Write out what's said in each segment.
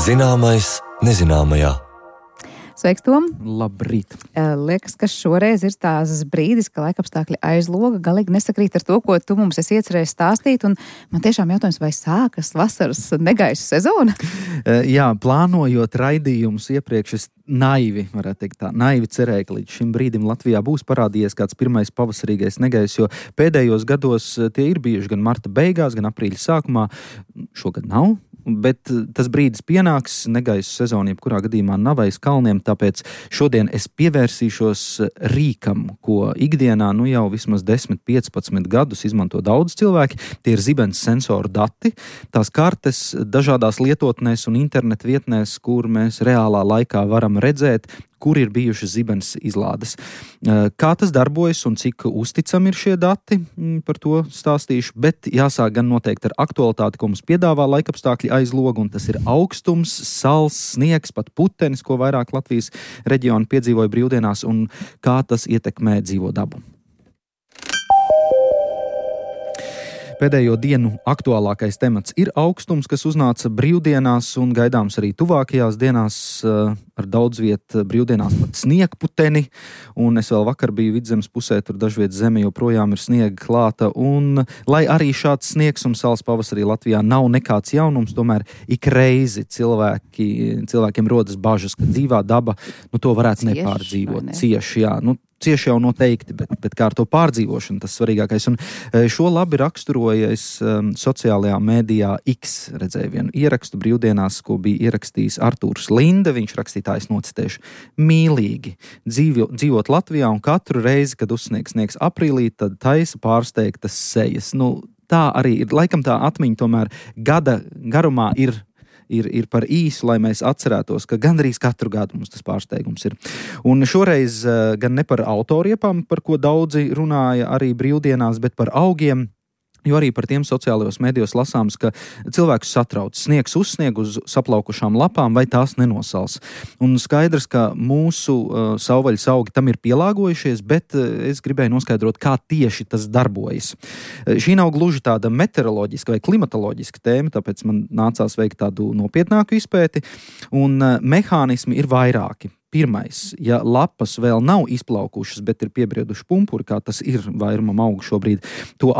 Zināmais nezināmajā. Sveiks, Tom! Labrīt! Liekas, ka šoreiz ir tās brīdis, ka laikapstākļi aiz loga galīgi nesakrīt ar to, ko tu mums esi iecerējis stāstīt, un man tiešām jautājums, vai sākas vasaras negaisu sezona? Jā, plānojot raidījumus iepriekš, es naivi cerēju, ka līdz šim brīdim Latvijā būs parādījies kāds pirmais pavasarīgais negaiss, jo pēdējos gados tie ir bijuši gan marta beigās, gan aprīļa sākumā. Šogad nav. Bet tas brīdis pienāks, negaisu sezona jebkurā gadījumā nav aiz kalniem, tāpēc šodien es pievērsīšos rīkam, ko ikdienā jau vismaz 10-15 gadus izmanto daudz cilvēki. Tie ir zibens sensoru dati, tās kartes dažādās lietotnēs un internetu vietnēs, kur mēs reālā laikā varam redzēt, kur ir bijušas zibens izlādes. Kā tas darbojas un cik uzticami ir šie dati, par to stāstīšu, bet jāsāk gan noteikti ar aktualitāti, ko mums piedāvā laikapstākļi aiz loga, un tas ir augstums, sals, sniegs, pat putenis, ko vairāk Latvijas reģioni piedzīvoja brīvdienās, un kā tas ietekmē dzīvo dabu. Pēdējo dienu aktuālākais temats ir augstums, kas uznāca brīvdienās un gaidāms arī tuvākajās dienās ar daudz vietu brīvdienās pat sniegputeni. Un es vēl vakar biju Vidzemes pusē, tur dažviet zeme joprojām ir sniega klāta. Un, lai arī šāds sniegs un sals pavasarī Latvijā nav nekāds jaunums, tomēr ik reizi cilvēkiem rodas bažas, ka dzīvā daba to varētu nepārdzīvot. Cieši, jā. Cieši jau noteikti, bet kā ar to pārdzīvošanu, tas svarīgākais. Un šo labi raksturoja es sociālajā mēdījā X, redzēju vienu ierakstu brīvdienās, ko bija ierakstījis Artūrs Linde. Viņš rakstītājs nocitēšu: mīlīgi dzīvot Latvijā un katru reizi, kad uzsniegs aprīlī, tad taisa pārsteigtas sejas. Tā arī ir, laikam tā atmiņa tomēr gada garumā ir par īsu, lai mēs atcerētos, ka gandrīz katru gadu mums tas pārsteigums ir. Un šoreiz gan ne par autoriepām, par ko daudzi runāja arī brīvdienās, bet par augiem, jo arī par tiem sociālajos medijos lasāms, ka cilvēkus satrauc sniegs uzsnieg uz saplaukušām lapām, vai tās nenosals. Un skaidrs, ka mūsu savvaļas augi tam ir pielāgojušies, bet es gribēju noskaidrot, kā tieši tas darbojas. Šī nav gluži tāda meteoroloģiska vai klimatoloģiska tēma, tāpēc man nācās veikt tādu nopietnāku izpēti, un mehānismi ir vairāki. Pirmais, ja lapas vēl nav izplaukušas, bet ir piebrieduši pumpuri, kā tas ir vairumam augu šobrīd, to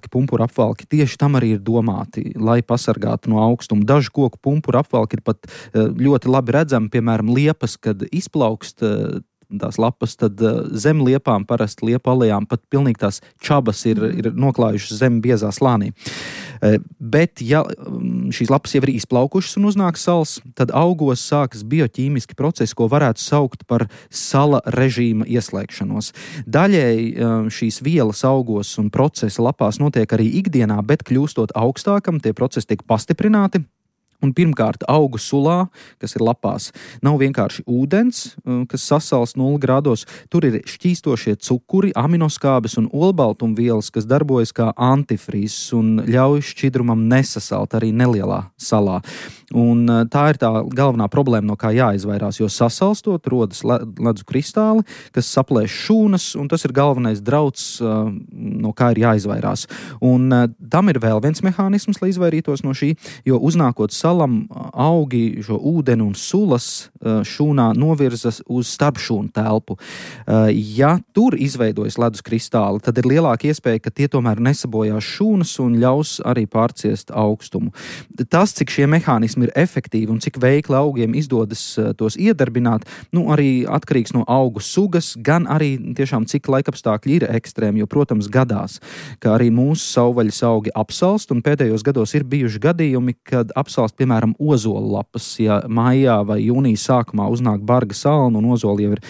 pumpuru apvalki tieši tam arī ir domāti, lai pasargātu no augstuma. Dažu koku pumpuru apvalki ir pat ļoti labi redzami, piemēram, liepas, kad izplaukst tās lapas, tad zem liepām, parasti liepu alejām, pat pilnīgi tās čabas ir noklājušas zem biezā slānī. Bet, ja šīs lapas jau ir izplaukušas un uznāk sals, tad augos sākas bioķīmiski procesi, ko varētu saukt par sala režīma ieslēgšanos. Daļēji šīs vielas augos un procesi lapās notiek arī ikdienā, bet kļūstot augstākam, tie procesi tiek pastiprināti. Un pirmkārt, augu sulā, kas ir lapās, nav vienkārši ūdens, kas sasals 0 grādos. Tur ir šķīstošie cukuri, aminoskābes un olbaltumvielas, kas darbojas kā antifrīzes un ļauj šķidrumam nesasalt arī nelielā salā. Un tā ir tā galvenā problēma, no kā jāizvairās, jo sasalstot rodas ledus kristāli, kas saplēš šūnas, un tas ir galvenais drauds, no kā ir jāizvairās. Un tam ir vēl viens mehānisms, lai izvairītos no šī, jo uznākot salam augi šo ūdeni un sulas šūnā novirzas uz starpšūnu telpu. Ja tur izveidojas ledus kristāli, tad ir lielāka iespēja, ka tie tomēr nesabojās šūnas un ļaus arī pārciest augstumu. Tas, cik šie mehānismi ir efektīvi un cik veikli augiem izdodas tos iedarbināt, arī atkarīgs no augu sugas, gan arī tiešām cik laikapstākļi ir ekstrēmi, jo, protams, gadās, ka arī mūsu savvaļas augi apsalst, un pēdējos gados ir bijuši gadījumi, kad apsalst, piemēram, ozolu lapas, ja maijā vai jūnija sākumā uznāk barga salna un ozoli jau ir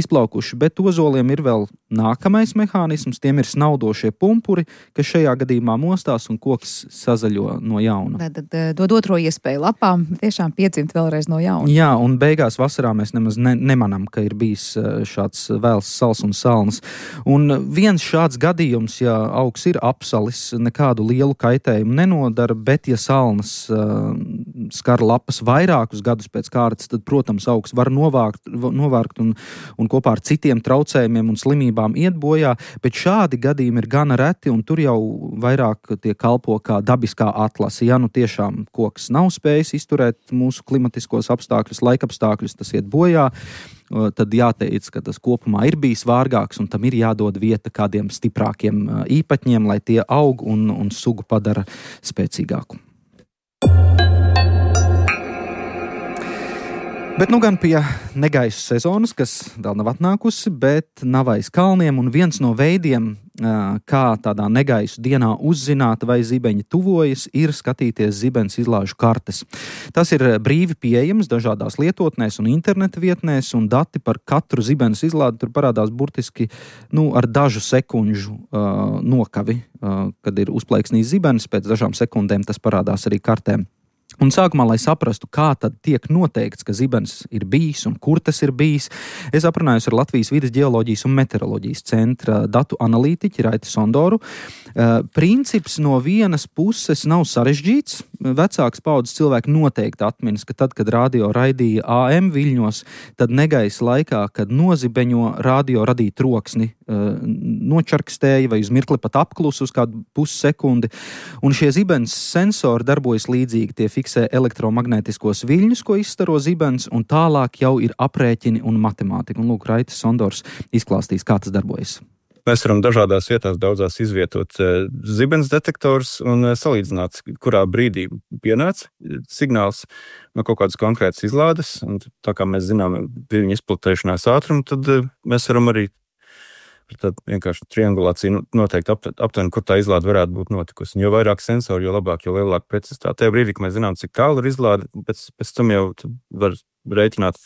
izplaukuši, bet ozoliem ir vēl nākamais mehānisms, tiem ir snaudošie pumpuri, kas šajā gadījumā mostās un koks sazaļo no jauna. Tad dod otro iespēju lapām tiešām piedzimt vēlreiz no jauna. Jā, un beigās vasarā mēs nemaz nemanam, ka ir bijis šāds vēls sals un salnas. Un viens šāds gadījums, ja augs ir apsalis, nekādu lielu kaitējumu nenodara, bet ja salnas skar lapas vairākus gadus pēc kārtas, tad, protams, augs var novārkt un kopā ar citiem traucējumiem un slimībām iet bojā, bet šādi gadījumi ir gana reti, un tur jau vairāk tie kalpo kā dabiskā atlase. Ja nu tiešām koks nav spējis izturēt mūsu klimatiskos apstākļus, laikapstākļus, tas iet bojā, tad jāteic, ka tas kopumā ir bijis vārgāks un tam ir jādod vieta kādiem stiprākiem īpatņiem, lai tie aug un sugu padara spēcīgāku. Bet nu gan pie negaisu sezonas, kas vēl nav atnākusi, bet nav aiz kalniem, un viens no veidiem, kā tādā negaisu dienā uzzināt, vai zibeņi tuvojas, ir skatīties zibens izlāžu kartes. Tas ir brīvi pieejams dažādās lietotnēs un interneta vietnēs, un dati par katru zibenes izlādi tur parādās burtiski ar dažu sekundžu nokavi, kad ir uzplaiksnījis zibenis, pēc dažām sekundēm tas parādās arī kartēm. Un sākumā, lai saprastu, kā tad tiek noteikts, ka zibens ir bijis un kur tas ir bijis, es aprunājos ar Latvijas vides ģeoloģijas un meteoroloģijas centra datu analītiķi Raiti Sondoru. Princips no vienas puses nav sarežģīts. Vecāks paudzes cilvēki noteikti atminas, ka tad, kad radio raidīja AM viļņos, tad negaisa laikā, kad nozibeņo, radio radīja troksni, nočarkstēja vai uz mirkli pat apklusu uz kādu pussekundi. Un šie zibens sensori darbojas līdzīgi, tie fiksē elektromagnētiskos viļņus, ko izstaro zibens, un tālāk jau ir aprēķini un matemātika. Un lūk, Raitis Sondors izklāstīs, kā tas darbojas. Mēs varam dažādās vietās daudzās izvietot zibens detektors un salīdzināt, kurā brīdī pienāca signāls no kaut kādas konkrētas izlādes. Un tā kā mēs zinām viļņu izplatēšanās ātrumu, tad mēs varam arī tādu vienkārši triangulāciju noteikt aptuveni, kur tā izlāde varētu būt notikusi. Jo vairāk sensori, jo labāk, jo lielāka precizitāte. Tajā brīdī, kad mēs zinām, cik tālu ir izlāde, pēc tam jau var rēķināt,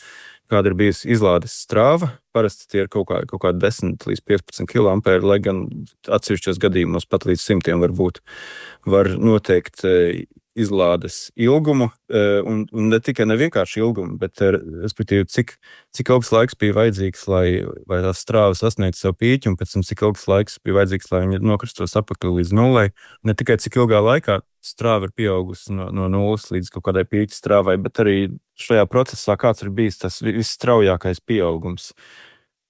kāda ir bijusi izlādes strāva. Parasti tie ir kaut kā 10 līdz 15 kA, lai gan atsevišķos gadījumos pat līdz 100 var noteikt izlādes ilgumu, un ne tikai nevienkārši ilgumu, bet respektīvi, cik ilgs laiks bija vajadzīgs, lai tā strāva sasniegtu savu pīķi, un pēc tam cik ilgs laiks bija vajadzīgs, lai viņi nokristos apakli līdz nullei. Ne tikai cik ilgā laikā strāva ir pieaugusi no nulles līdz kaut kādai pīķa strāvai, bet arī šajā procesā kāds ir bijis tas visstraujākais pieaugums.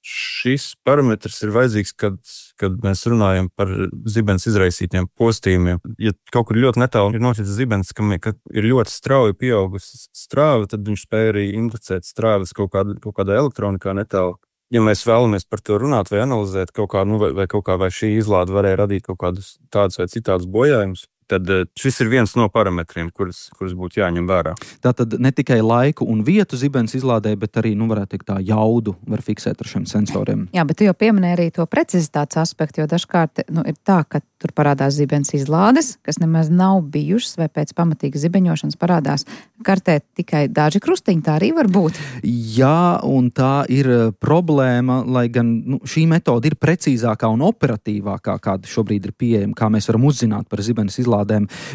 Šis parametrs ir vajadzīgs, kad mēs runājam par zibens izraisītiem postījumiem. Ja kaut kur ļoti netālu ir noticis zibens, ka ir ļoti strauji pieaugusi strāva, tad viņš spēja arī indicēt strāvas kaut kādā elektronikā netālu. Ja mēs vēlamies par to runāt vai analizēt vai šī izlāde varēja radīt kaut kādus tādus vai citādus bojājumus, tad šis ir viens no parametriem, kurus būtu jāņem vērā. Tātad ne tikai laiku un vietu zibens izlādē, bet arī, varētu teikt, tā jaudu var fiksēt ar šiem sensoriem. Jā, bet tu jau pieminēji arī to precizitātes aspektu, jo dažkārt ir tā, ka tur parādās zibens izlādes, kas nemaz nav bijušas, vai pēc pamatīgas zibeņošanas parādās kartē tikai daži krustiņi, tā arī var būt. Jā, un tā ir problēma, lai gan šī metode ir precīzākā un operatīvākā, kāda šobrīd ir pieejama, kā mēs varam uzzināt par zibens izlādēm.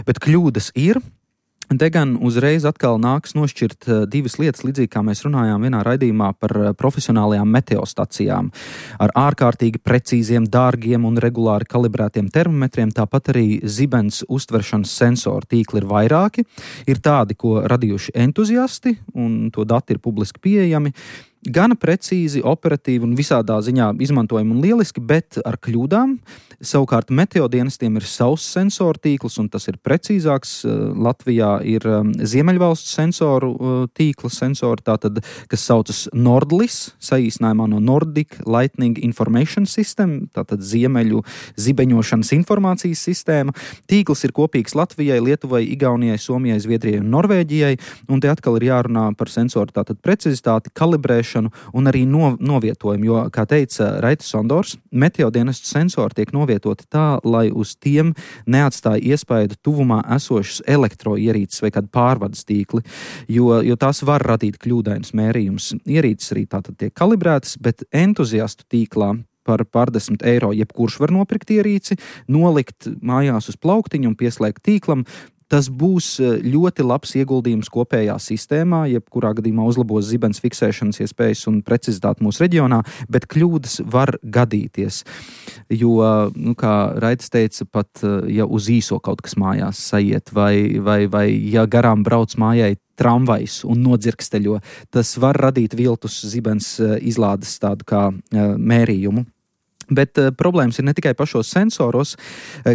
Bet kļūdas ir. Te gan uzreiz atkal nāks nošķirt divas lietas, līdzīgi kā mēs runājām vienā raidījumā par profesionālajām meteostacijām. Ar ārkārtīgi precīziem, dārgiem un regulāri kalibrētiem termometriem, tāpat arī zibens uztveršanas sensoru tīkli ir vairāki. Ir tādi, ko radījuši entuziasti, un to dati ir publiski pieejami. Gana precīzi, operatīvi un visādā ziņā izmantojami un lieliski, bet ar kļūdām. Savukārt meteodienestiem ir savs sensoru tīkls, un tas ir precīzāks. Latvijā ir Ziemeļvalstu sensoru tīkla sensori, tātad, kas saucas Nordlis, saīsinājumā no Nordic Lightning Information System, tātad Ziemeļu zibeņošanas informācijas sistēma. Tīkls ir kopīgs Latvijai, Lietuvai, Igaunijai, Somijai, Zviedrijai un Norvēģijai, un te atkal ir jārunā par sensoru tātad precizitāti, kalibrēšanu un arī novietojumu, jo, kā teica Raitis Sondors, meteodienestu sensori tiek novietoti tā, lai uz tiem neatstāja iespaidu tuvumā esošas elektroierīces vai kādu pārvades tīkli, jo tās var radīt kļūdainus mērījumus. Ierīces arī tātad tiek kalibrētas, bet entuziastu tīklā par pār10 eiro jebkurš var nopirkt ierīci, nolikt mājās uz plauktiņu un pieslēgt tīklam. Tas būs ļoti labs ieguldījums kopējā sistēmā, jebkurā gadījumā uzlabos zibens fiksēšanas iespējas un precizitāti mūsu reģionā, bet kļūdas var gadīties. Jo, kā Raitis teica, pat ja uz īso kaut kas mājās sajiet, vai ja garām brauc mājai tramvajs un nodzirksteļo, tas var radīt viltus zibens izlādes tādu kā mērījumu. Bet problēmas ir ne tikai pašos sensoros.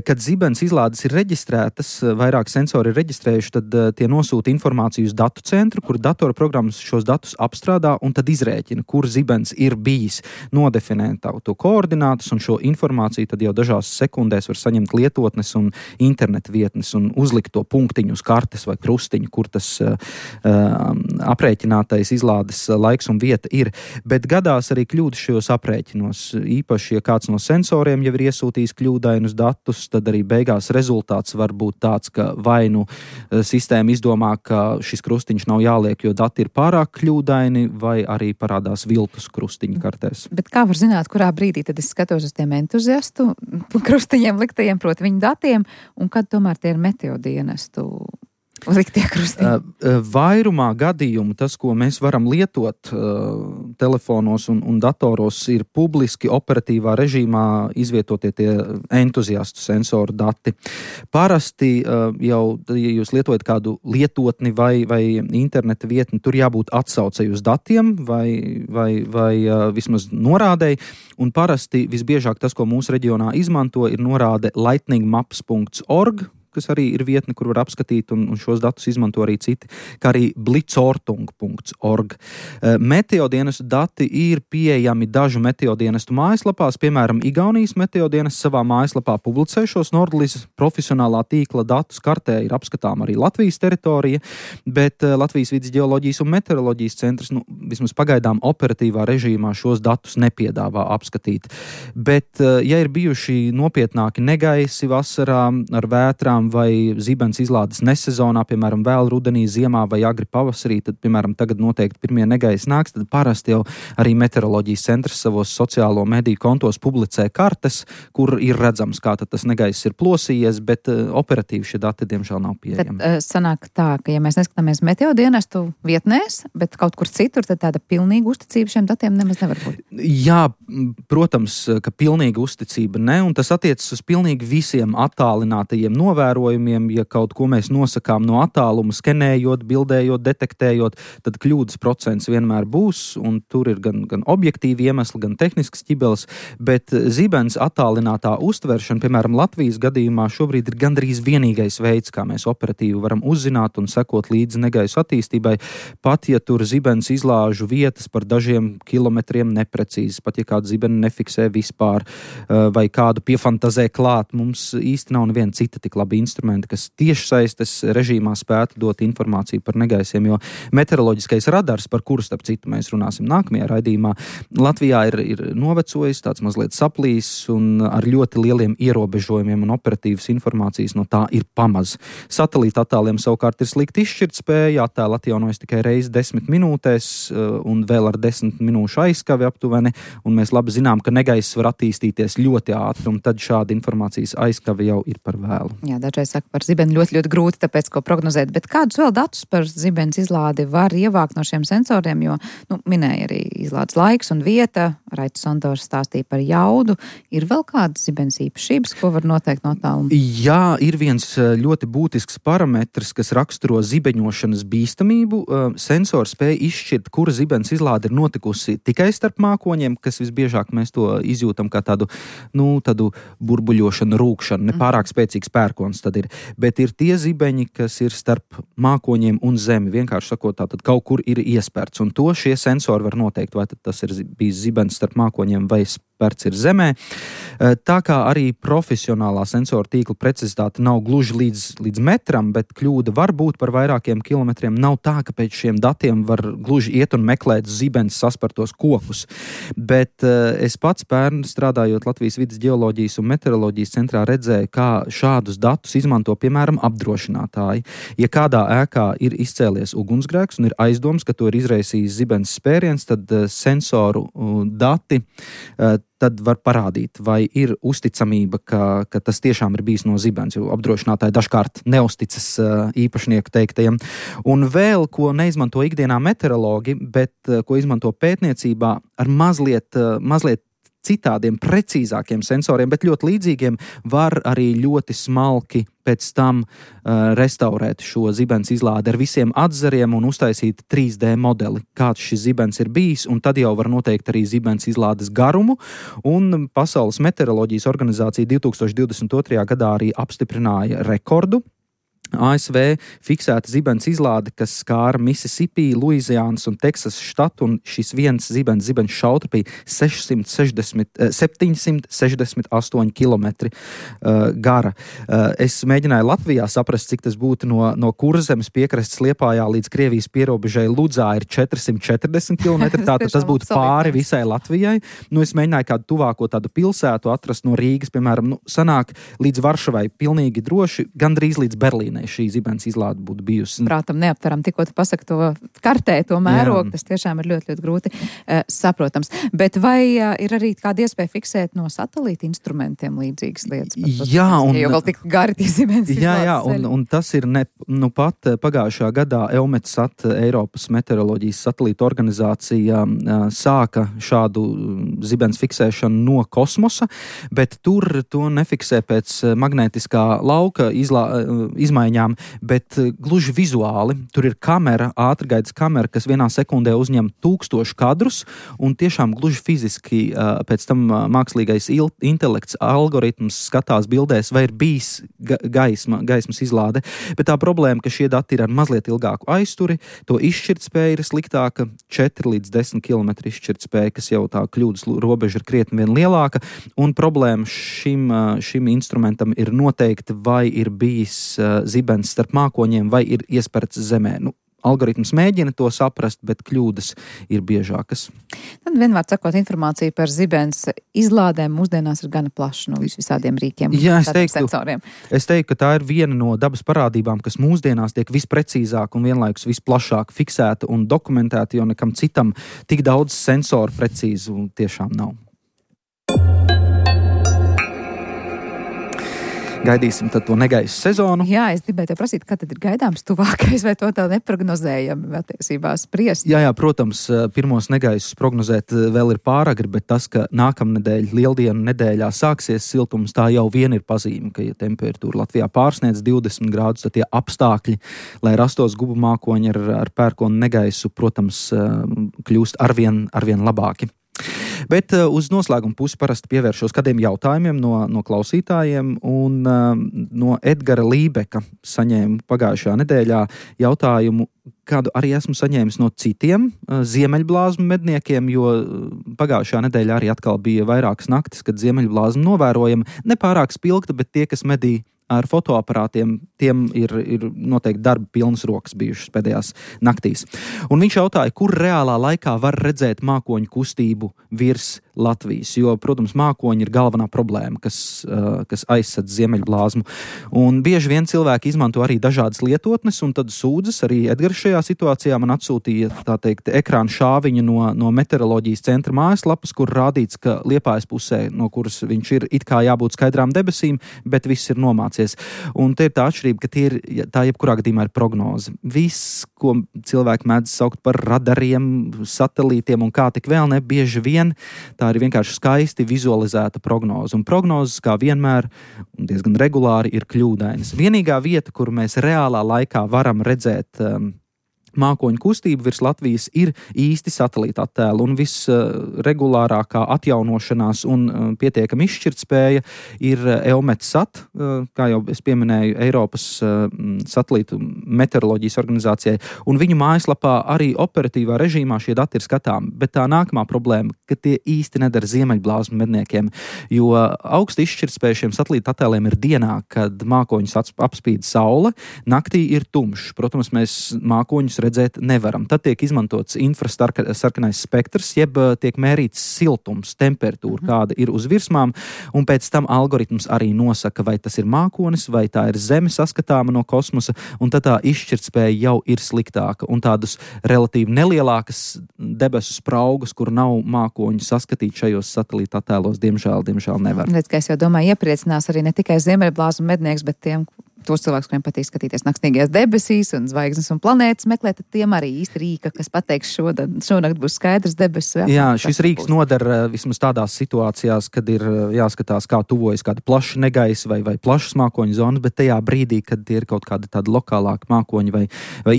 Kad zibens izlādes ir reģistrētas, vairāk sensori ir reģistrējuši, tad tie nosūta informāciju uz datu centru, kur datorprogrammas šos datus apstrādā un tad izrēķina, kur zibens ir bijis, nodefinē to koordinātus, un šo informāciju tad jau dažās sekundēs var saņemt lietotnes un interneta vietnes un uzlikt to punktiņu uz kartes vai krustiņu, kur tas aprēķinātais izlādes laiks un vieta ir. Bet gadās arī kļūdas šajos aprēķinos, īpaši, ja kāds no sensoriem jau ir iesūtījis kļūdainus datus, tad arī beigās rezultāts var būt tāds, ka vai nu sistēma izdomā, ka šis krustiņš nav jāliek, jo dati ir pārāk kļūdaini, vai arī parādās viltus krustiņu kartēs. Bet kā var zināt, kurā brīdī tad es skatos uz tiem entuziastu krustiņiem liktajiem, proti viņu datiem, un kad tomēr tie ir meteodienestu liktie krustiņi? Vairumā gadījumu tas, ko mēs varam lietot telefonos un datoros, ir publiski operatīvā režīmā izvietotie tie entuziastu sensoru dati. Parasti jau, ja jūs lietojat kādu lietotni vai interneta vietni, tur jābūt atsaucei uz datiem vai vismaz norādei, un parasti visbiežāk tas, ko mūsu reģionā izmanto, ir norāde lightningmaps.org, kas arī ir vietne, kur var apskatīt, un šos datus izmanto arī citi, kā arī blitzortung.org. Meteodienestu dati ir pieejami dažu meteodienestu mājaslapās, piemēram, Igaunijas meteodienests savā mājaslapā publicē šos Nordlis profesionālā tīkla datus, kartē ir apskatām arī Latvijas teritorija, bet Latvijas vides ģeoloģijas un meteoroloģijas centrs, vismaz pagaidām operatīvā režīmā šos datus nepiedāvā apskatīt. Bet, ja ir bijuši nopietnāki negaisi vasarā ar vētrām, vai zibens izlādes nesezonā, piemēram, vēl rudenī, ziemā vai agri pavasarī, tad, piemēram, tagad noteikti pirmie negaisi nāks, tad parasti jau arī meteoroloģijas centrs savos sociālo mediju kontos publicē kartes, kur ir redzams, kā tad tas negaiss ir plosījies, bet operatīvi šie dati, diemžēl, nav pieejami. Tad sanāk tā, ka ja mēs neskatāmies meteodienestu vietnēs, bet kaut kur citur, tad tāda pilnīga uzticība šiem datiem nemaz nevar būt. Jā, protams, ka pilnīga uzticība ne, un tas attiecas uz pilnīgi visiem attālinātajiem novērojumiem. Ja kaut ko mēs nosakām no attāluma, skenējot, bildējot, detektējot, tad kļūdas procents vienmēr būs, un tur ir gan objektīvi iemesli, gan tehnisks ķibeles, bet zibens attālinātā uztveršana, piemēram, Latvijas gadījumā šobrīd ir gandrīz vienīgais veids, kā mēs operatīvi varam uzzināt un sekot līdzi negaisu attīstībai, pat ja tur zibens izlāžu vietas par dažiem kilometriem neprecīzi, pat ja kādu zibeni nefiksē vispār, vai kādu piefantazē klāt, mums īsti nav neviena cita tik labi instrumenti, kas tiešsaistes režīmā spētu dot informāciju par negaisiem, jo meteoroloģiskais radars, par kuru starp citu mēs runāsim nākamajā raidījumā, Latvijā ir novecojis, tāds mazliet saplīs un ar ļoti lieliem ierobežojumiem un operatīvas informācijas no tā ir pamaz. Satelīta attēliem savukārt ir slikti izšķirtspēja, attēli atjaunojas tikai reizi 10 minūtēs un vēl ar 10 minūšu aizskavi aptuveni, un mēs labi zinām, ka negaiss var attīstīties ļoti ātri, un tad šāda informācijas aizskavi jau ir par vēlu. Jā, dažreiz saka par zibeni ļoti grūti, tāpēc ko prognozēt, bet kādus vēl datus par zibens izlādi var ievākt no šiem sensoriem, jo, minēja arī izlādes laiks un vieta, Raitis Sondors stāstīja par jaudu, ir vēl kādas zibens īpašības, ko var noteikt no tāluma? Jā, ir viens ļoti būtisks parametrs, kas raksturo zibeņošanas bīstamību. Sensors spēja izšķirt, kura zibens izlāde ir notikusi tikai starp mākoņiem, kas visbiežāk mēs to izjūtam kā tādu burbuļošanu, rūkšanu, nepārāk spēcīgs pērkons tad ir. Bet ir tie zibeņi, kas ir starp mākoņiem un zemi. Vienkārši sakot, tātad kaut kur ir iespērts. Un to šie sensori var noteikt, vai tad tas ir bijis zibens starp mākoņiem vai spērts ir zemē. Tā kā arī profesionālā sensoru tīkla precizitāte nav gluži līdz metram, bet kļūda var būt par vairākiem kilometriem. Nav tā, ka pēc šiem datiem var gluži iet un meklēt zibens saspartos kokus. Bet es pats pērn strādājot Latvijas vides ģeoloģijas un meteoroloģijas centrā redzēju, kā šādus datus izmanto, piemēram, apdrošinātāji. Ja kādā ēkā ir izcēlies ugunsgrēks un ir aizdoms, ka to ir izraisījis zibens spēriens, tad sensoru dati tad var parādīt, vai ir uzticamība, ka tas tiešām ir bijis no zibens, jo apdrošinātāji dažkārt neusticas īpašnieku teiktajiem. Un vēl, ko neizmanto ikdienā meteorologi, bet ko izmanto pētniecībā ar mazliet citādiem, precīzākiem sensoriem, bet ļoti līdzīgiem, var arī ļoti smalki pēc tam restaurēt šo zibens izlādi ar visiem atzariem un uztaisīt 3D modeli, kāds šis zibens ir bijis, un tad jau var noteikt arī zibens izlādes garumu, un Pasaules meteoroloģijas organizācija 2022. Gadā arī apstiprināja rekordu. ASV fiksēta zibens izlāde, kas skāra Mississippi, Luizijānas un Teksas štatu, un šis viens zibens šautra bija 768 kilometri gara. Es mēģināju Latvijā saprast, cik tas būtu no Kurzemes piekrastes Liepājā līdz Krievijas pierobežai Ludzā ir 440 kilometri, tātad tas būtu pāri visai Latvijai. Es mēģināju kādu tuvāko tādu pilsētu atrast no Rīgas, piemēram, sanāk līdz Varšavai pilnīgi droši, gandrīz līdz Berlīnai šī zibens izlāde būtu bijusi. Prātam neaptveram, tikko tu pasaki to kartē, to mērogu, tas tiešām ir ļoti, ļoti grūti saprotams. Bet vai ir arī kāda iespēja fiksēt no satelīta instrumentiem līdzīgas lietas? Jā, un jau vēl tik gari tie zibens izlādes. Jā, un tas ir pat pagājušā gadā EUMETSAT, Eiropas meteoroloģijas satelīta organizācija, sāka šādu zibens fiksēšanu no kosmosa, bet tur to nefiksē pēc magnētiskā lauka izmaiņām, bet gluži vizuāli. Tur ir kamera, ātrgaitas kamera, kas vienā sekundē uzņem 1000 kadrus, un tiešām gluži fiziski pēc tam mākslīgais intelekts algoritms skatās bildēs, vai ir bijis gaismas izlāde. Bet tā problēma, ka šie dati ir ar mazliet ilgāku aizturi, to izšķirtspēja ir sliktāka, 4 līdz 10 km izšķirtspēja, kas jau tā kļūdas robeža ir krietni vien lielāka, un problēma šim instrumentam ir noteikti, vai ir bijis zibens starp mākoņiem, vai ir iesperts zemē. Algoritms mēģina to saprast, bet kļūdas ir biežākas. Tad vienmēr sakot, informācija par zibens izlādēm mūsdienās ir gana plaša no visādiem rīkiem. Jā, sensoriem. Es teiktu, ka tā ir viena no dabas parādībām, kas mūsdienās tiek visprecīzāk un vienlaikus visplašāk fiksēta un dokumentēta, jo nekam citam tik daudz sensoru precīzu tiešām nav. Gaidīsim tad to negaisu sezonu. Jā, es gribēju te prasīt, kad tad ir gaidāms tuvākais, vai to tā neprognozējami attiecībā spriest? Jā, protams, pirmos negaisus prognozēt vēl ir pāragri, bet tas, ka nākamnedēļ, lieldienu nedēļā sāksies siltums, tā jau vien ir pazīme, ka ja temperatūra Latvijā pārsniedz 20 grādus, tad tie apstākļi, lai rastos gubu mākoņi ar pērkonu negaisu, protams, kļūst arvien labāki. Bet uz noslēguma pusi parasti pievēršos kādiem jautājumiem no klausītājiem, un no Edgara Lībeka saņēmu pagājušajā nedēļā jautājumu, kādu arī esmu saņēmis no citiem ziemeļblāzmu medniekiem, jo pagājušajā nedēļā arī atkal bija vairākas naktis, kad ziemeļblāzma novērojama, nepārāk spilgta, bet tie, kas medī ar fotoaparātiem, tiem ir noteikti darba pilnas rokas bijušas pēdējās naktīs. Un viņš jautāja, kur reālā laikā var redzēt mākoņu kustību virs Latvijas, jo, protams, mākoņi ir galvenā problēma, kas aizsadz ziemeļblāzmu. Un bieži vien cilvēki izmanto arī dažādas lietotnes, un tad sūdzas arī Edgars šajā situācijā man atsūtīja, tā teikt, ekrāna šāviņu no meteoroloģijas centra mājaslapas, kur rādīts, ka Liepājas pusē, no kuras viņš ir, it kā jābūt skaidrām debesīm, bet viss ir nomācies. Un te ir tā atšķirība, ka tā jebkurā gadījumā ir prognoze. Viss, ko cilvēki mēdz saukt par radariem, satelītiem un kā tik vēl ne, bieži vien tā ir vienkārši skaisti vizualizēta prognoze. Un prognozes, kā vienmēr, un diezgan regulāri, ir kļūdainas. Vienīgā vieta, kur mēs reālā laikā varam redzēt mākoņu kustību virs Latvijas, ir īsti satelīta attēli, un visregulārākā atjaunošanās un pietiekama izšķirtspēja ir EUMETSAT, kā jau es pieminēju, Eiropas satelītu meteoroloģijas organizācijai, un viņu mājaslapā arī operatīvā režīmā šie dati ir skatām, bet tā nākamā problēma, ka tie īsti nedara ziemeļblāzmu medniekiem, jo augsti izšķirtspēja šiem satelīta attēliem ir dienā, kad mākoņus apspīd saule, naktī ir tumšs. Protams, mēs mākoņus redzēt nevaram. Tad tiek izmantots infrasarkanais spektrs, jeb tiek mērīts siltums, temperatūra, kāda ir uz virsmām, un pēc tam algoritms arī nosaka, vai tas ir mākonis, vai tā ir Zeme saskatāma no kosmosa, un tad tā izšķirtspēja jau ir sliktāka, un tādus relatīvi nelielākas debesu spraugus, kur nav mākoņu saskatīt šajos satelīta attēlos, diemžēl nevar. Redz, ka es jau domāju, iepriecinās arī ne tikai ziemeļblāzu mednieks, bet tos cilvēkus, kuriem patīk skatīties nakstīgajās debesīs un zvaigznes un planētas meklēt, tad tiem arī īsti rīka, kas pateiks šonakt būs skaidrs debesis. Jā, šis rīks nodara vismaz tādās situācijās, kad ir jāskatās, kā tuvojas kāda plaša negaisa vai plašas mākoņu zonas, bet tajā brīdī, kad ir kaut kāda tāda lokālāka mākoņa vai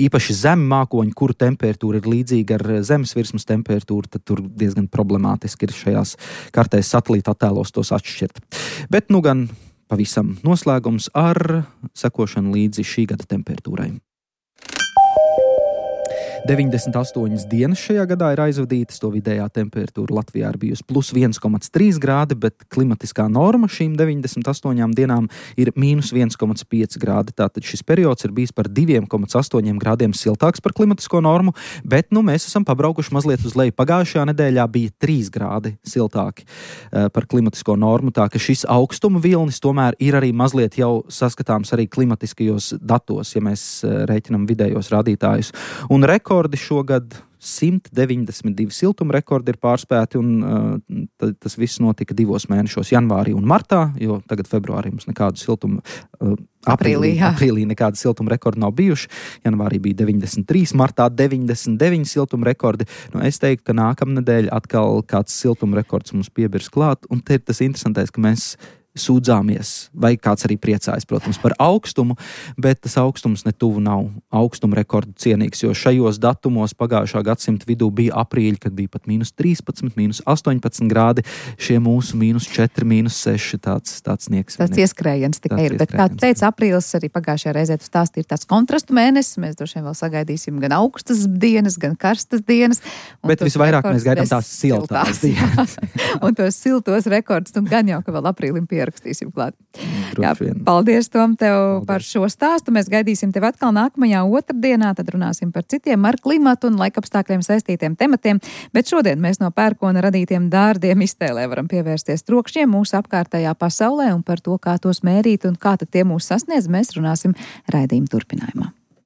īpaši zemi mākoņi, kuru temperatūra ir līdzīga ar zemes virsmas temperatūru, tad tur diezgan problemātiski ir šajās kartēs satelīta attēlos tos atšķirt. Bet nu gan pavisam noslēgums ar sekošanu līdzi šī gada temperatūrai. 98 dienas šajā gadā ir aizvadītas, to vidējā temperatūra Latvijā ir bijusi plus 1,3 grādi, bet klimatiskā norma šīm 98 dienām ir mīnus 1,5 grādi. Tātad šis periods ir bijis par 2,8 grādiem siltāks par klimatisko normu, bet mēs esam pabraukuši mazliet uz leju. Pagājušajā nedēļā bija 3 grādi siltāki par klimatisko normu, tā ka šis augstuma vilnis tomēr ir arī mazliet jau saskatāms arī klimatiskajos datos, ja mēs rēķinam vidējos rādītājus. Un rekordi šogad 192 siltuma rekordi ir pārspēti, un tas viss notika 2 mēnešos, janvārī un martā, jo tagad februārī mums nekādu siltumu, aprīlī nekādu siltuma rekordu nav bijuši. Janvārī bija 93, martā 99 siltuma rekordi. Es teiktu, ka nākamnedēļ atkal kāds siltuma rekords mums piebirs klāt, un te ir tas interesantais, ka mēs sūdzāmies, vai kāds arī priecājas, protams, par augstumu, bet tas augstums netuvu nav augstuma rekordu cienīgs, jo šajos datumos pagājušā gadsimta vidū bija aprīļi, kad bija pat mīnus 13, mīnus 18 grādi, šie mūsu mīnus 4, mīnus 6, tāds sniegs. Tāds ieskrējiens tikai ir, bet kā teica, aprīlis arī pagājušajā reizē tu stāstīji, ir tāds kontrastu mēnesis, mēs droši vien vēl sagaidīsim gan augstas dienas, gan karstas dienas. Bet visvairāk mēs gaidām tās siltās dienas. Un tos siltos rekordus, un gan jau, ka vēl aprīlim rakstīsim klāt. Jā, paldies, Tom, tev par šo stāstu. Mēs gaidīsim tevi atkal nākamajā otrdienā, tad runāsim par citiem ar klimatu un laikapstākļiem saistītiem tematiem, bet šodien mēs no pērkona radītiem dārdiem iztēlē varam pievērsties trokšņiem mūsu apkārtējā pasaulē, un par to, kā tos mērīt un kā tad tie mūs sasniedz, mēs runāsim raidījuma turpinājumā.